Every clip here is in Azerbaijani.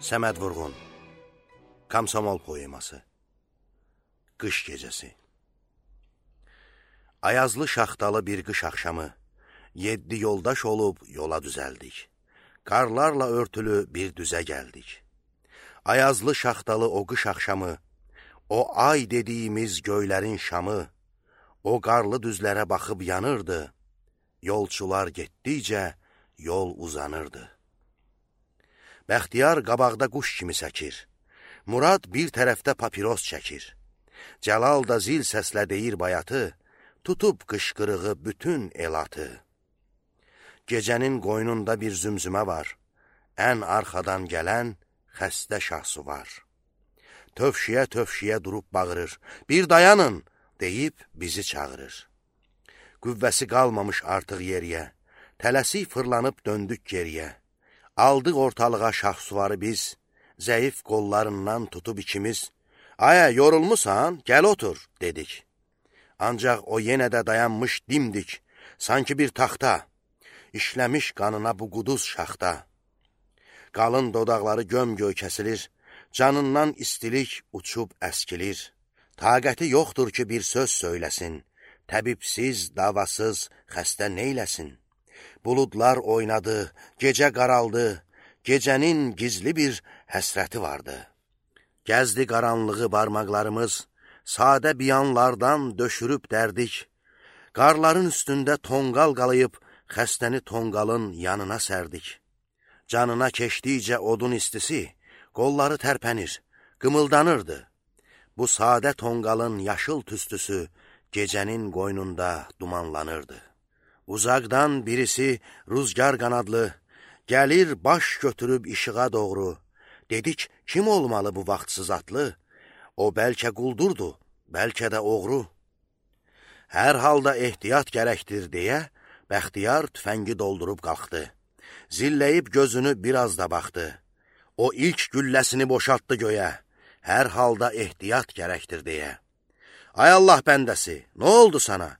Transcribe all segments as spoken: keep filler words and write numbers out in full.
Səməd Vurğun Komsomol poeması. Qış gecəsi. Ayazlı şaxtalı bir qış axşamı, yeddi yoldaş olub yola düzəldik. Qarlarla örtülü bir düzə gəldik. Ayazlı şaxtalı o qış axşamı, o ay dediyimiz göylərin şamı, o qarlı düzlərə baxıb yanırdı. Yolçular getdikcə yol uzanırdı. Bəxtiyar qabaqda quş kimi səkir. Murad bir tərəfdə papiros çəkir. Cəlal da zil səslə deyir bayatı, tutub qışqırığı bütün elatı. Gecənin qoynunda bir zümzümə var, ən arxadan gələn xəstə şahsu var. Tövşiyə-tövşiyə durub bağırır, bir dayanın, deyib bizi çağırır. Qüvvəsi qalmamış artıq yeriyə, tələsik fırlanıb döndük geriyə. Aldıq ortalığa şahsuvarı biz, zəif qollarından tutub ikimiz, "Aya, yorulmusan, gəl otur," dedik. Ancaq o yenə də dayanmış dimdik, sanki bir taxta, işləmiş qanına bu quduz şaxta. Qalın dodaqları göm-göy kəsilir, canından istilik uçub əskilir. Taqəti yoxdur ki, bir söz söyləsin, təbibsiz, davasız xəstə neyləsin? Buludlar oynadı, gecə qaraldı, gecənin gizli bir həsrəti vardı. Gəzdi qaranlığı barmaqlarımız, sadə biyanlardan döşürüb dərdik. Qarların üstündə tonqal qalayıb, xəstəni tonqalın yanına sərdik. Canına keçdikcə odun istisi, qolları tərpənir, qımıldanırdı. Bu sadə tonqalın yaşıl tüstüsü gecənin qoynunda dumanlanırdı. Uzaqdan birisi rüzgar qanadlı, gəlir baş götürüb işığa doğru. Dedik, kim olmalı bu vaxtsız atlı? O bəlkə quldurdu, bəlkə də oğru. Hər halda ehtiyat gərəkdir deyə, Bəxtiyar tüfəngi doldurub qalxdı. Zilləyib gözünü biraz da baxdı. O ilk gülləsini boşaltdı göyə, hər halda ehtiyat gərəkdir deyə. Ay Allah bəndəsi, nə oldu sana?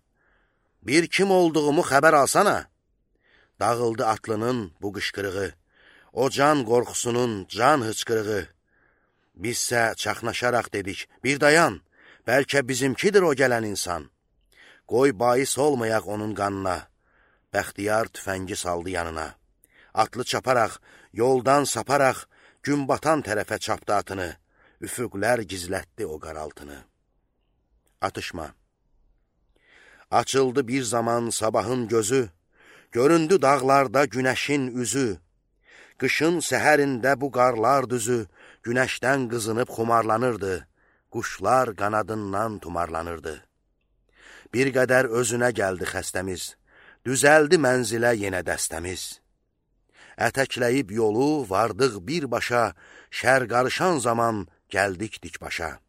Bir kim olduğumu xəbər alsana. Dağıldı atlının bu qışqırığı, o can qorxusunun can hıçqırığı. Bizsə çaxnaşaraq dedik, bir dayan, bəlkə bizimkidir o gələn insan. Qoy bais olmayaq onun qanına. Bəxtiyar tüfəngi saldı yanına. Atlı çaparaq, yoldan saparaq, gün batan tərəfə çapdı atını. Üfüqlər gizlətdi o qaraltını. Atışma. Açıldı bir zaman sabahın gözü, göründü dağlarda günəşin üzü. Qışın səhərində bu qarlar düzü, günəşdən qızınıb xumarlanırdı, quşlar qanadından tumarlanırdı. Bir qədər özünə gəldi xəstəmiz, düzəldi mənzilə yenə dəstəmiz. Ətəkləyib yolu vardıq birbaşa, şər qarışan zaman gəldik dikbaşa.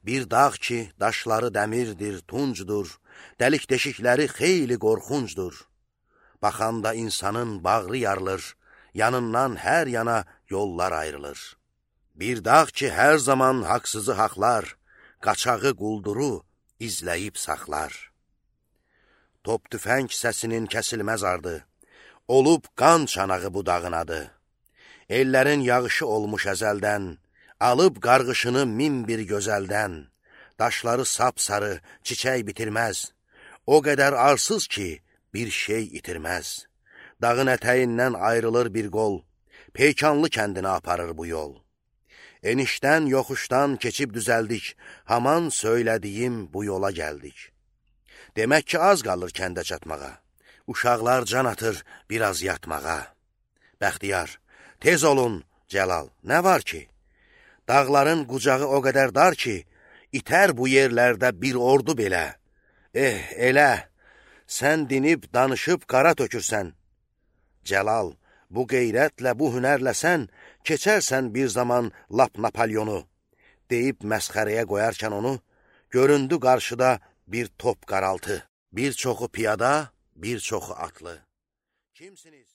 Bir dağ ki, daşları dəmirdir, tuncdur, dəlik deşikləri xeyli qorxuncdur. Baxanda insanın bağrı yarılır, yanından hər yana yollar ayrılır. Bir dağ ki, hər zaman haqsızı haqlar, qaçağı qulduru izləyib saxlar. Top tüfəng səsinin kəsilməz ardı, olub qan çanağı bu dağın adı. Ellərin yağışı olmuş əzəldən, alıb qarğışını min bir gözəldən. Daşları sapsarı, çiçək bitirməz, o qədər arsız ki, bir şey itirməz. Dağın ətəyindən ayrılır bir qol, Peykanlı kəndinə aparır bu yol. Enişdən, yoxuşdan keçib düzəldik, haman söylədiyim bu yola gəldik. Demək ki, az qalır kəndə çatmağa, uşaqlar can atır biraz yatmağa. Bəxtiyar, tez olun, Cəlal, nə var ki? Dağların qucağı o qədər dar ki, İtər bu yerlərdə bir ordu belə. Eh, elə, sən dinib, danışıb qara tökürsən. Cəlal, bu qeyrətlə, bu hünərlə sən, keçərsən bir zaman lap Napolyonu. Deyib məsxərəyə qoyarkən onu, göründü qarşıda bir top qaraltı. Bir çoxu piyada, bir çoxu atlı. Kimsiniz?